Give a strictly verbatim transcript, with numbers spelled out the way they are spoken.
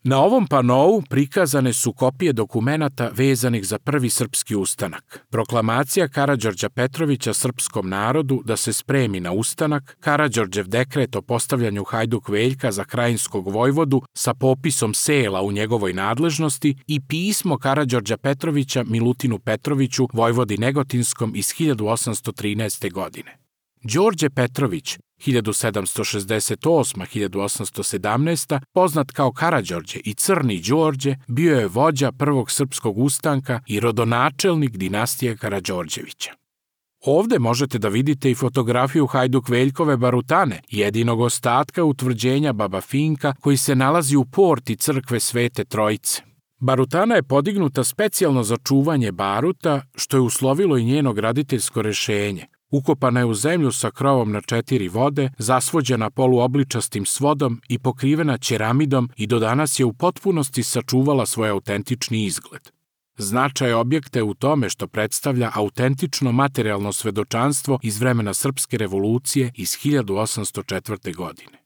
Na ovom panou prikazane su kopije dokumenata vezanih za prvi srpski ustanak. Proklamacija Karađorđa Petrovića srpskom narodu da se spremi na ustanak, Karađorđev dekret o postavljanju Hajduk Veljka za krajinskog vojvodu sa popisom sela u njegovoj nadležnosti i pismo Karađorđa Petrovića Milutinu Petroviću, vojvodi Negotinskom iz hiljadu osamsto trinaeste. godine. Đorđe Petrović, hiljadu sedamsto šezdeset osma do hiljadu osamsto sedamnaesta. poznat kao Karađorđe i Crni Đorđe, bio je vođa prvog srpskog ustanka i rodonačelnik dinastije Karađorđevića. Ovde možete da vidite i fotografiju Hajduk Veljkove barutane, jedinog ostatka utvrđenja Baba Finka koji se nalazi u porti crkve Svete Trojice. Barutana je podignuta specijalno za čuvanje baruta, što je uslovilo i njeno graditeljsko rešenje. Ukopana je u zemlju sa krovom na četiri vode, zasvođena poluobličastim svodom i pokrivena ćeramidom i do danas je u potpunosti sačuvala svoj autentični izgled. Značaj objekta je u tome što predstavlja autentično materijalno svedočanstvo iz vremena Srpske revolucije iz hiljadu osamsto četvrte. godine.